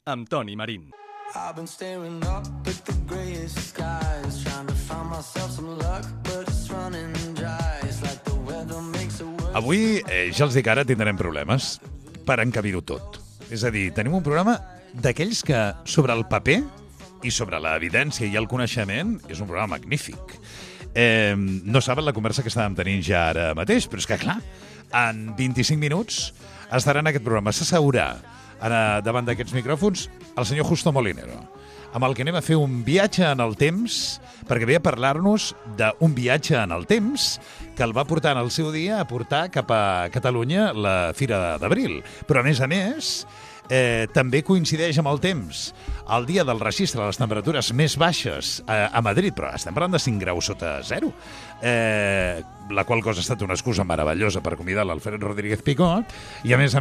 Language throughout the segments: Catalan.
amb Toni Marín. I've been staring up at the greyest skies, trying to find myself some luck, but it's running dry. It's like the weather makes it worse. Avui, ja els dic ara, tindrem problemes per encabir-ho tot. És a dir, tenim un programa d'aquells que sobre el paper i sobre l'evidència i el coneixement és un programa magnífic. No saben la conversa que estàvem tenint ja ara mateix, però és que, clar, en 25 minuts estarà en aquest programa. S'asseurà davant d'aquests micròfons el senyor Justo Molinero, amb el que anem a fer un viatge en el temps, perquè ve a parlar-nos d'un viatge en el temps que el va portar en el seu dia a portar cap a Catalunya la Fira d'Abril. Però, a més, també coincideix amb el temps el dia del registre de les temperatures més baixes a Madrid, però estem parlant de 5 graus sota zero, la qual cosa ha estat una excusa meravellosa per convidar l'Alfred Rodríguez Picó, i a més,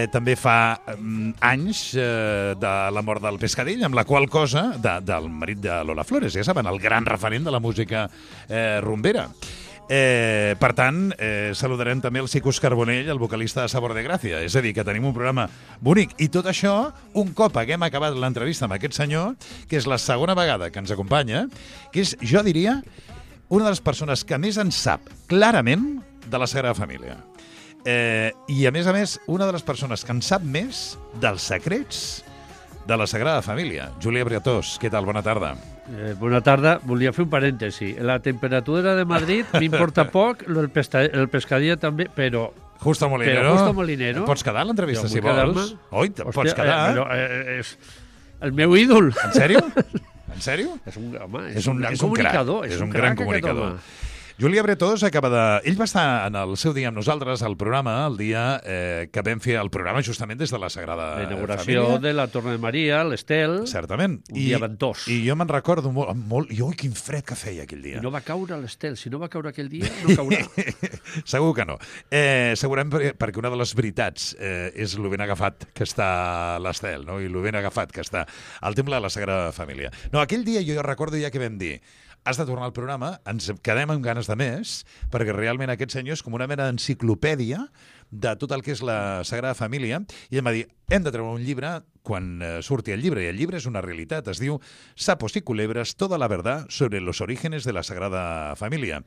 també fa anys de la mort del Pescadell, amb la qual cosa, del marit de Lola Flores, ja saben, el gran referent de la música rumbera. Per tant, saludarem també el Cicus Carbonell, el vocalista de Sabor de Gràcia. És a dir, que tenim un programa bonic. I tot això, un cop haguem acabat l'entrevista amb aquest senyor, que és la segona vegada que ens acompanya, que és, jo diria, una de les persones que més en sap clarament de la Sagrada Família. I, a més, una de les persones que en sap més dels secrets de la Sagrada Família. Júlia Briatós, què tal? Bona tarda. Bona tarda. Volia fer un parèntesi. La temperatura de Madrid m'importa poc, el pescadilla també, però... Justo Molinero. Pots quedar a l'entrevista, si vols? Oi, pots quedar. És el meu ídol. En sèrio? En sèrio? És un gran comunicador. És un gran comunicador. Júlia Briatós acaba de... Ell va estar en el seu dia amb nosaltres al programa, el dia que vam fer el programa justament des de la Sagrada Família. La inauguració de la Torre de Maria, l'Estel. Certament. Un dia ventós. I jo me'n recordo molt... I oi, quin fred que feia aquell dia. I no va caure l'Estel. Si no va caure aquell dia, no caurà. Segur que no. Segurament perquè una de les veritats és lo ben agafat que està l'Estel, no? I lo ben agafat que està el temple de la Sagrada Família. No, aquell dia jo recordo ja que vam dir: has de tornar al programa, ens quedem amb ganes de més, perquè realment aquest senyor és com una mena d'enciclopèdia de tot el que és la Sagrada Família, i em va dir, hem de treure un llibre quan surti el llibre, i el llibre és una realitat, es diu Sapos y culebras, toda la verdad sobre los orígenes de la Sagrada Família.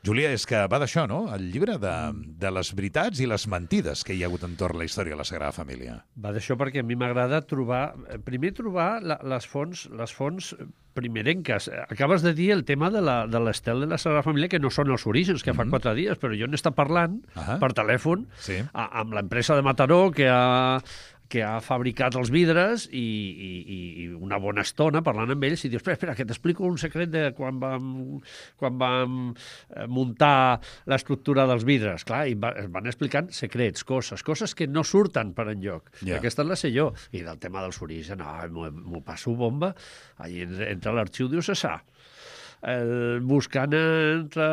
Júlia, és que va d'això, no? El llibre de les veritats i les mentides que hi ha hagut entorn la història de la Sagrada Família. Va d'això perquè a mi m'agrada trobar les fonts primerenques. Acabes de dir el tema de l'Estel de la Sagrada Família, que no són els orígens, que fa 4 dies, però jo n'he parlant per telèfon amb l'empresa de Mataró que ha fabricat els vidres i una bona estona parlant amb ells i dius, espera, que t'explico un secret de quan vam muntar l'estructura dels vidres. Clar, i es van explicant secrets, coses que no surten per enlloc. Yeah. Aquesta la sé jo. I del tema dels orígens, m'ho passo bomba. Allí entra l'arxiu diocesà. Buscant entre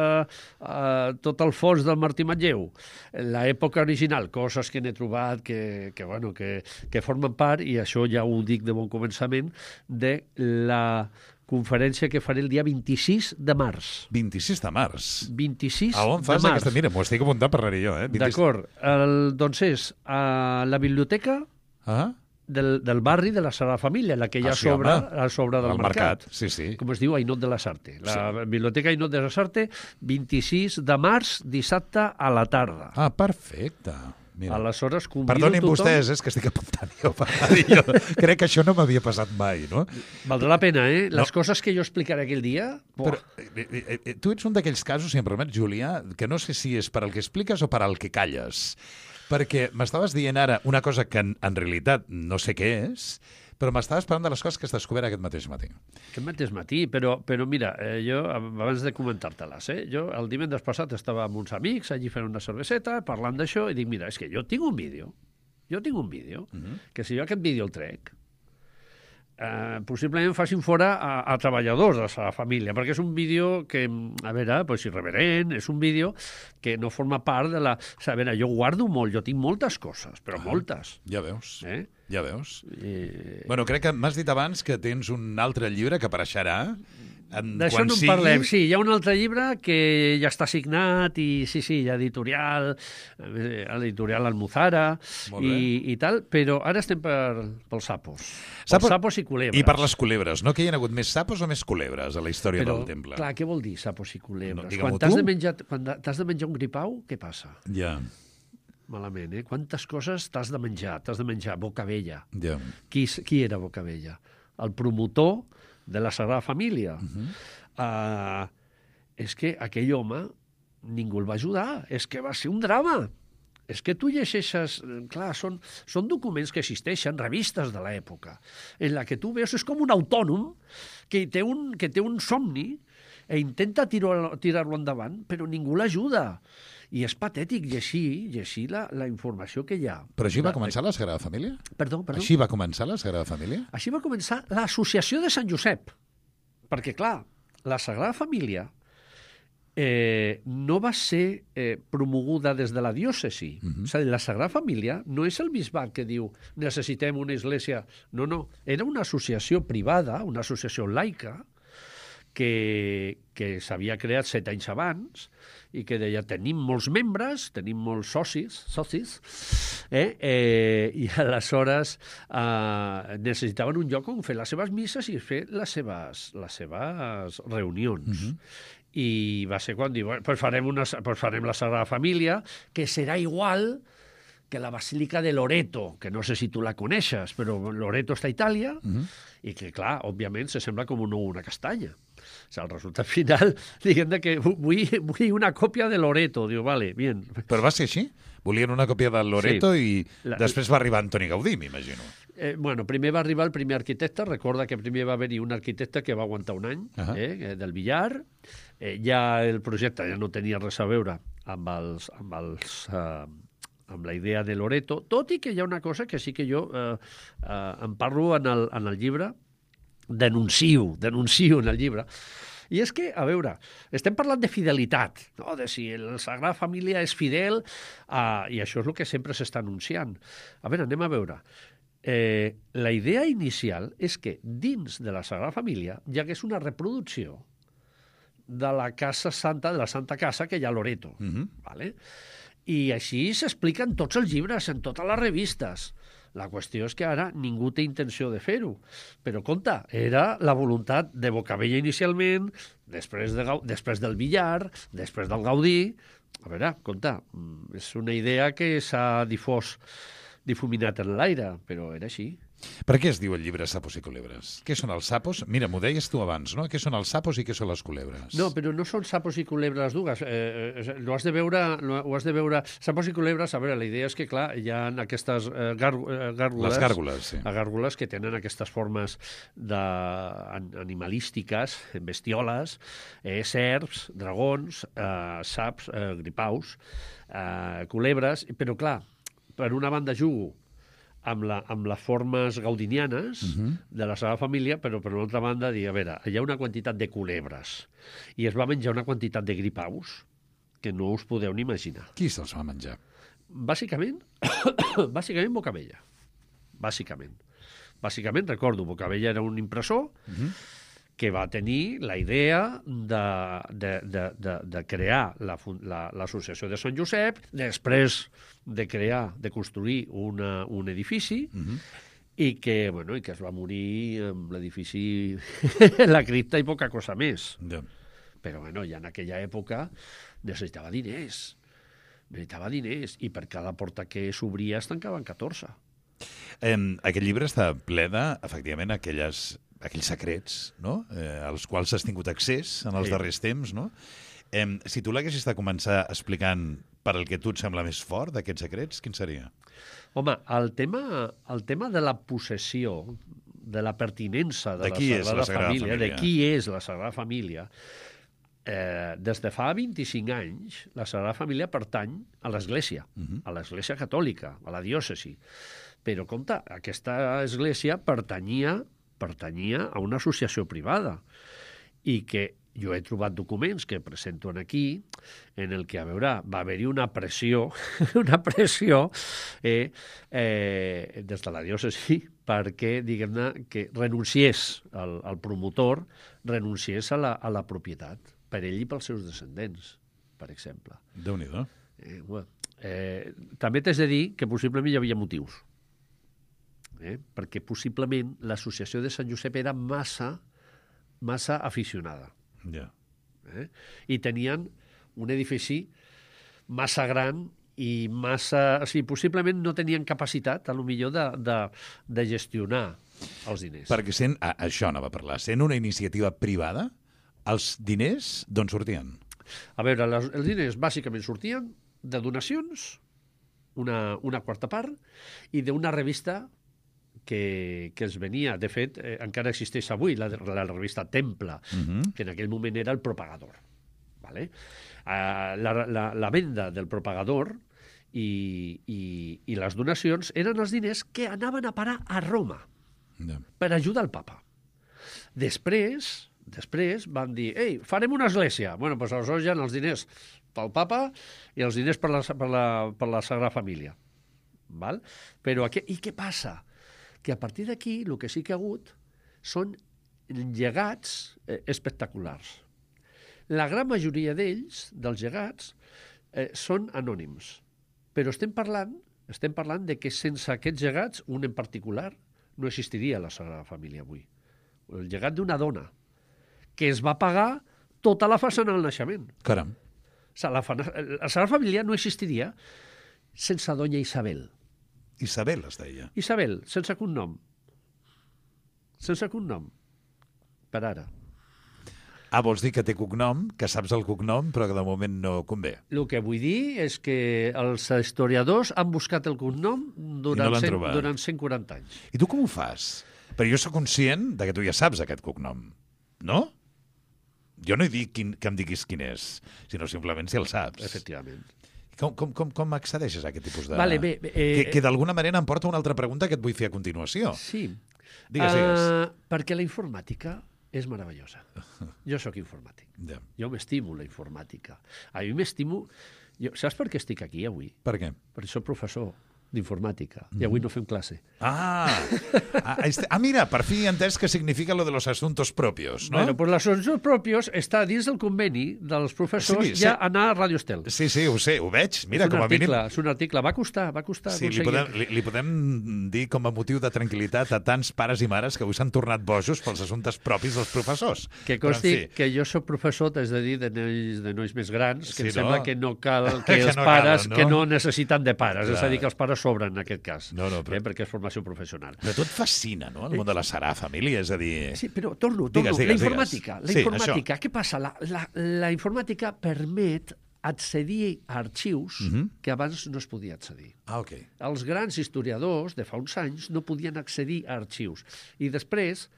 tot el fons del Martí Manlleu, l'època original, coses que n'he trobat que formen part, i això ja ho dic de bon començament, de la conferència que faré el dia 26 de març. 26 de març? 26 a on fas de març. Mira, m'ho estic apuntant per anar-hi jo. D'acord. Doncs és a la biblioteca del barri de la Sagrada Família, la que hi ha sobre del mercat. Sí. Com es diu, Ainot de la Sarte. La biblioteca Ainot de la Sarte, 26 de març, dissabte a la tarda. Ah, perfecte. Mira. Aleshores, convido perdonin tothom... vostès, és que estic apuntant jo. Crec que això no m'havia passat mai, no? Valdrà la pena, Les coses que jo explicaré aquell dia... Però tu ets un d'aquells casos, si em permets, Júlia, que no sé si és per al que expliques o per al que calles. Perquè m'estaves dient ara una cosa que en realitat no sé què és, però m'estaves parlant de les coses que has descobert aquest mateix matí. Aquest mateix matí, però mira, jo, abans de comentar-te-les, jo el divendres passat estava amb uns amics allí fent una cerveseta, parlant d'això, i dic, mira, és que jo tinc un vídeo, que si jo aquest vídeo el trec, possiblement facin fora a treballadors de la família, perquè és un vídeo que, a veure, irreverent, és un vídeo que no forma part de la... A veure, jo guardo molt, jo tinc moltes coses, però moltes. Ja veus, ja veus. Bueno, crec que m'has dit abans que tens un altre llibre que apareixerà D'això quan no en sigui... parlem. Sí, hi ha un altre llibre que ja està signat i sí, hi ha editorial Almuzara Molt bé. i tal, però ara estem pels sapos. Sapos- Pels sapos i culebres. I per les culebres, no? Que hi ha hagut més sapos o més culebres a la història Però, del temple? clar, què vol dir sapos i culebres? No, digue-m'ho quan t'has tu. de menjar un gripau, què passa? Ja, Malament, eh? Quantes coses t'has de menjar? T'has de menjar Bocabella. ja. Qui era Bocabella? El promotor de la Sagrada Família. És que aquell home ningú el va ajudar. És que va ser un drama. És que tu llegeixes... Clar, són documents que existeixen, revistes de l'època, en la que tu veus... És com un autònom que té un somni i intenta tirar-lo endavant, però ningú l'ajuda. I és patètic llegir la informació que hi ha. Però així va començar la Sagrada Família? Perdó? Així va començar la Sagrada Família? Així va començar l'Associació de Sant Josep. Perquè, clar, la Sagrada Família no va ser promoguda des de la diòcesi. És a dir, la Sagrada Família no és el bisbat que diu necessitem una església. No, no. Era una associació privada, una associació laica, que s'havia creat 7 anys abans i que deia tenim molts membres, tenim molts socis, i aleshores necessitaven un lloc on fer les seves misses i fer les seves reunions. I va ser quan diu, pues farem la Sagrada Família, que serà igual que la Basílica de Loreto, que no sé si tu la coneixes, però Loreto està a Itàlia, i que, clar, òbviament, se sembla com una castanya. O sigui, el resultat final, diguem que vull una còpia de Loreto. Diu, vale, bien. Però va ser així? Volien una còpia del Loreto Sí. i després va arribar Antoni Gaudí, m'imagino. Bueno, primer va arribar el primer arquitecte. Recorda que primer va haver-hi un arquitecte que va aguantar un any, del Villar. Ja el projecte ja no tenia res a veure amb la idea de Loreto, tot i que hi ha una cosa que sí que jo en parlo en el llibre, denuncio en el llibre, i és que, a veure, estem parlant de fidelitat, no? De si la Sagrada Família és fidel, i això és el que sempre s'està anunciant. A veure, anem a veure. La idea inicial és que dins de la Sagrada Família hi hagués una reproducció de la Casa Santa, de la Santa Casa que hi ha a Loreto. Vale? I així s'explica en tots els llibres, en totes les revistes. La qüestió és que ara ningú té intenció de fer-ho. Però, compte, era la voluntat de Bocabella inicialment, després del Villar, després del Gaudí. A veure, compte, és una idea que s'ha difuminat en l'aire, però era així. Per què es diu el llibre Sapos i Culebres? Què són els sapos? Mira, m'ho deies tu abans, no? Què són els sapos i què són les culebres? No, però no són sapos i culebres dues. Ho has de veure. Sapos i culebres, a veure, la idea és que, clar, hi ha aquestes gàrgoles... Les gàrgoles, sí. Gàrgoles que tenen aquestes formes animalístiques, bestioles, serps, dragons, saps, gripaus, culebres, però, clar, per una banda jugo amb les formes gaudinianes de la Sagrada Família, però per una altra banda dir, a veure, hi ha una quantitat de culebres i es va menjar una quantitat de gripaus que no us podeu ni imaginar. Qui se'ls va menjar? Bàsicament Bocabella. Bàsicament, recordo, Bocabella era un impressor que va tenir la idea de crear l'associació de Sant Josep, després de construir un edifici, i que es va morir amb l'edifici, la cripta i poca cosa més. Ja. Però ja en aquella època necessitava diners, i per cada porta que s'obria es tancaven 14. Aquest llibre està ple de, efectivament, aquells secrets, no? Als quals has tingut accés en els darrers temps, no? Si tu l'haguessis de començar explicant per al que tu et sembla més fort d'aquests secrets, quin seria? Home, el tema de la possessió, de la pertinença de la Sagrada Família, de qui és la Sagrada Família, des de fa 25 anys, la Sagrada Família pertany a l'Església, a l'Església Catòlica, a la diòcesi. Però, compte, aquesta església pertanyia a una associació privada i que jo he trobat documents que presento aquí en el que, a veure, va haver-hi una pressió, des de la diòcesi perquè, diguem-ne, que renunciés el promotor, renunciés a la propietat, per ell i pels seus descendents, per exemple. Déu-n'hi-do. També t'has de dir que possiblement hi havia motius, perquè possiblement l'associació de Sant Josep era massa aficionada. Ja. I tenien un edifici massa gran i massa... O sigui, possiblement no tenien capacitat, a lo millor, de gestionar els diners. Perquè això anava a parlar. Sent una iniciativa privada, els diners d'on sortien? A veure, els diners bàsicament sortien de donacions, una quarta part, i d'una revista que es venia, de fet, encara existeix avui, la revista Temple, que en aquell moment era el Propagador. ¿Vale? La venda del Propagador i les donacions eren els diners que anaven a parar a Roma per ajudar el papa. Després van dir, ei, farem una església. Bueno, doncs aleshores hi ha els diners pel papa i els diners per la Sagrada Família. Val? Però i què passa? Que a partir d'aquí el que sí que ha hagut són llegats espectaculars. La gran majoria d'ells, dels llegats, són anònims. Però estem parlant de que sense aquests llegats, un en particular, no existiria la Sagrada Família avui. El llegat d'una dona que es va pagar tota la façana del naixement. Caram. La Sagrada Família no existiria sense doña Isabel. Isabel es deia. Isabel, sense cognom. Sense cognom. Per ara. Vols dir que té cognom, que saps el cognom, però que de moment no convé. El que vull dir és que els historiadors han buscat el cognom durant 140 anys. I tu com ho fas? Però jo sóc conscient de que tu ja saps aquest cognom, no? Jo no he dit que em diguis quin és, sinó simplement si el saps. Efectivament. Com accedeixes a aquest tipus de... Vale, bé, que d'alguna manera em porta una altra pregunta que et vull fer a continuació. Sí. Digues. Perquè la informàtica és meravellosa. Jo sóc informàtic. Ja. Jo m'estimo la informàtica. A mi m'estimo... Saps per què estic aquí avui? Per què? Perquè soc professor d'informàtica i avui no fem classe. Mira, per fi he entès què significa lo de los asuntos propios, no? Bueno, pues los asuntos propios està dins del conveni dels professors ja anar a Radio Estel. Sí, ho sé, ho veig. Mira, com a mínim... És un article, va costar sí, li podem dir com a motiu de tranquil·litat a tants pares i mares que avui s'han tornat bojos pels assumptes propis dels professors. Que consti que jo soc professor, t'has de dir, de nois més grans, que em sembla que no cal que els pares que no necessiten de pares, és a dir, que els pares sobren en aquest cas, perquè és formació professional. Però tot fascina, no?, el món de la Sagrada Família, és a dir... Sí, però torno. La informàtica, què passa? La informàtica permet accedir a arxius que abans no es podia accedir. Ok. Els grans historiadors de fa uns anys no podien accedir a arxius. I després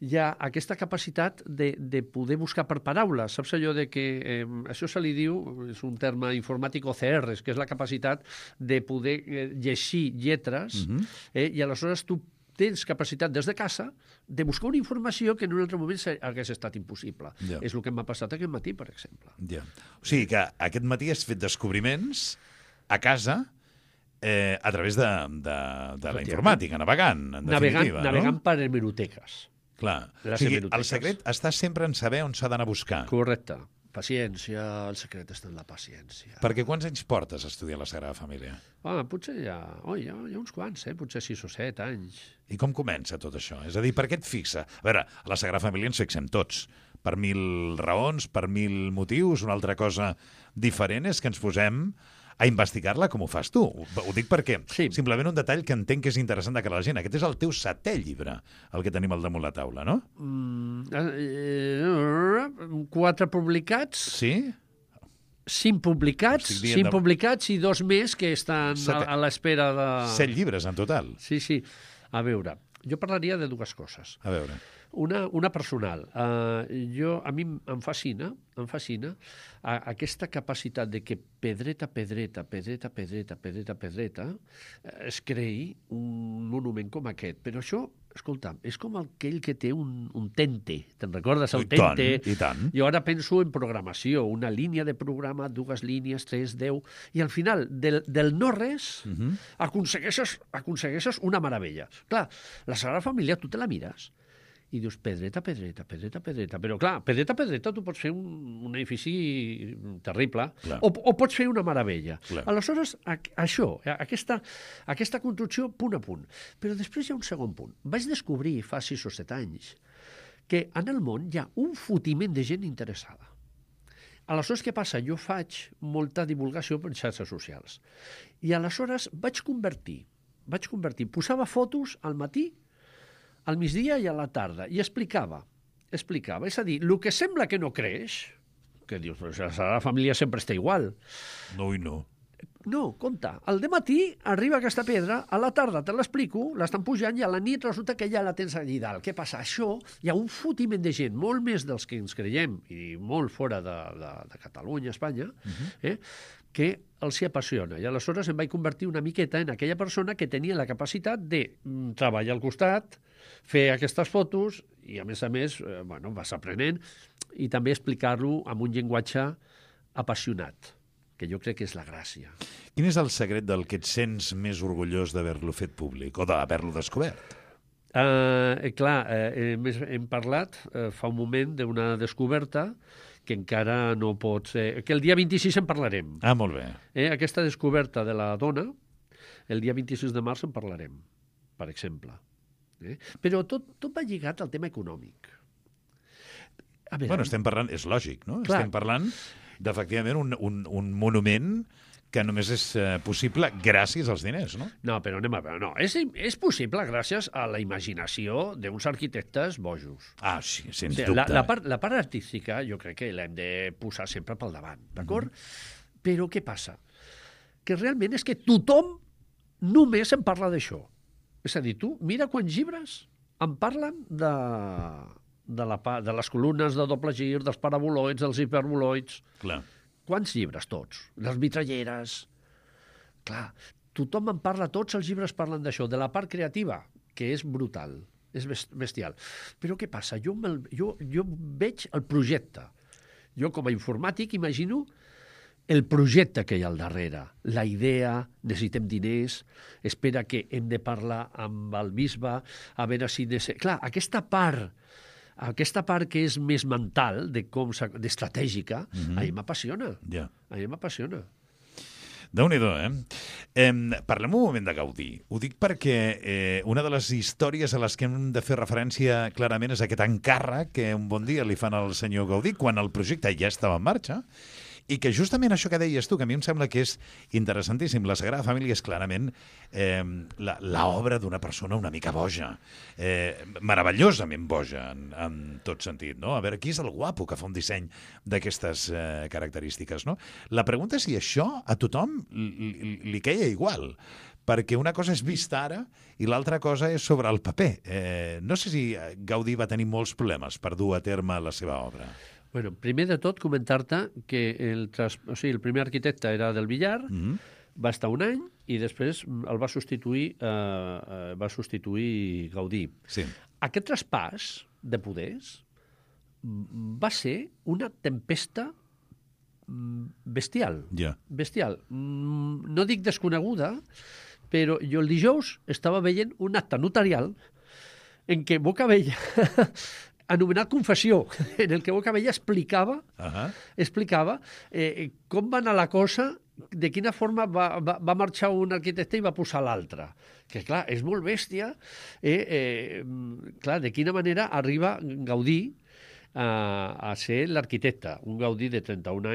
hi ha aquesta capacitat de poder buscar per paraules. Saps allò de que això se li diu, és un terme informàtic OCR, que és la capacitat de poder llegir lletres, i aleshores tu tens capacitat des de casa de buscar una informació que en un altre moment hagués estat impossible. És el que m'ha passat aquest matí, per exemple. O sigui que aquest matí has fet descobriments a casa a través de la informàtica, navegant, en definitiva. Navegant per hemeroteques. Clar. O sigui, el secret està sempre en saber on s'ha d'anar a buscar. Correcte. Paciència, el secret està en la paciència. Perquè quants anys portes a estudiar la Sagrada Família? Potser hi ha uns quants, potser 6 o 7 anys. I com comença tot això? És a dir, per què et fixa? A veure, a la Sagrada Família ens fixem tots. Per 1000 raons, per 1000 motius. Una altra cosa diferent és que ens posem a investigar-la com ho fas tu. Ho dic perquè simplement un detall que entenc que és interessant de cara a la gent. Aquest és el teu 7è llibre, el que tenim al damunt la taula, no? 4 publicats. Sí? 5 publicats i 2 més que estan a l'espera de... 7 llibres en total. Sí. A veure, jo parlaria de 2 coses. A veure. Una personal. A mi em fascina aquesta capacitat de que pedreta es creï un monument com aquest. Però això, escolta'm, és com aquell que té un tente. Te'n recordes el tente? I tant. Jo ara penso en programació, una línia de programa, 2 línies, 3, 10, i al final del no-res aconsegueixes una meravella. Clar, la Sagrada Família tu te la mires i dius pedreta. Però clar, pedreta tu pots fer un edifici terrible o pots fer una meravella. Clar. Aleshores, això, aquesta construcció punt a punt. Però després hi ha un segon punt. Vaig descobrir fa 6 o 7 anys que en el món hi ha un fotiment de gent interessada. Aleshores, què passa? Jo faig molta divulgació per xarxes socials. I aleshores vaig convertir, posava fotos al matí, al migdia i a la tarda, i explicava. És a dir, el que sembla que no creix, que dius, però la Sagrada Família sempre està igual. No i no. No, compte, al dematí arriba aquesta pedra, a la tarda te l'explico, l'estan pujant i a la nit resulta que ja la tens allà dalt. Què passa? Això, hi ha un fotiment de gent, molt més dels que ens creiem, i molt fora de Catalunya, Espanya, que els hi apassiona. I aleshores em vaig convertir una miqueta en aquella persona que tenia la capacitat de treballar al costat, fer aquestes fotos i, a més, vas aprenent i també explicar-lo amb un llenguatge apassionat, que jo crec que és la gràcia. Quin és el secret del que et sents més orgullós d'haver-lo fet públic o d'haver-lo descobert? Hem parlat fa un moment d'una descoberta que encara no pot ser... Que el dia 26 en parlarem. Ah, molt bé. Aquesta descoberta de la dona, el dia 26 de març en parlarem, per exemple. Però tot va lligat al tema econòmic. Estem parlant... És lògic, no? Clar. Estem parlant d'efectivament un monument que només és possible gràcies als diners, no? No, però anem a veure. No, és possible gràcies a la imaginació d'uns arquitectes bojos. Ah, sí, sens dubte. La part artística jo crec que l'hem de posar sempre pel davant, d'acord? Però què passa? Que realment és que tothom només en parla d'això. És a dir, tu mira quants llibres en parlen de les columnes de doble gir, dels paraboloids, dels hiperboloids. Clar. Quants llibres? Tots. Les vitralleres. Clar, tothom en parla, tots els llibres parlen d'això, de la part creativa, que és brutal, és bestial. Però què passa? Jo veig el projecte. Jo, com a informàtic, imagino el projecte que hi ha al darrere, la idea, necessitem diners, espera que hem de parlar amb el bisbe, a veure si... Clar, aquesta part que és més mental, d'estratègica, a mi m'apassiona. Ja. A mi m'apassiona. Déu-n'hi-do, Parlem un moment de Gaudí. Ho dic perquè una de les històries a les que hem de fer referència clarament és aquest encàrrec que un bon dia li fan al senyor Gaudí quan el projecte ja estava en marxa, i que justament això que deies tu, que a mi em sembla que és interessantíssim. La Sagrada Família és clarament l'obra d'una persona una mica boja, meravellosament boja en tot sentit, no? A veure, qui és el guapo que fa un disseny d'aquestes característiques, no? La pregunta és si això a tothom li queia igual, perquè una cosa és vista ara i l'altra cosa és sobre el paper. No sé si Gaudí va tenir molts problemes per dur a terme la seva obra. Bueno, primer de tot, comentar-te que el primer arquitecte era del Villar, va estar un any i després el va substituir Gaudí. Sí. Aquest traspàs de poders va ser una tempesta bestial. Ja. Bestial. No dic desconeguda, però jo el dijous estava veient un acte notarial en què Bocabella anomenat confessió, en el que Bocabella explicava com va anar la cosa, de quina forma va marxar un arquitecte i va posar l'altre. Que, clar, és molt bèstia. Clar, de quina manera arriba Gaudí a ser l'arquitecte. Un Gaudí de 31 anys,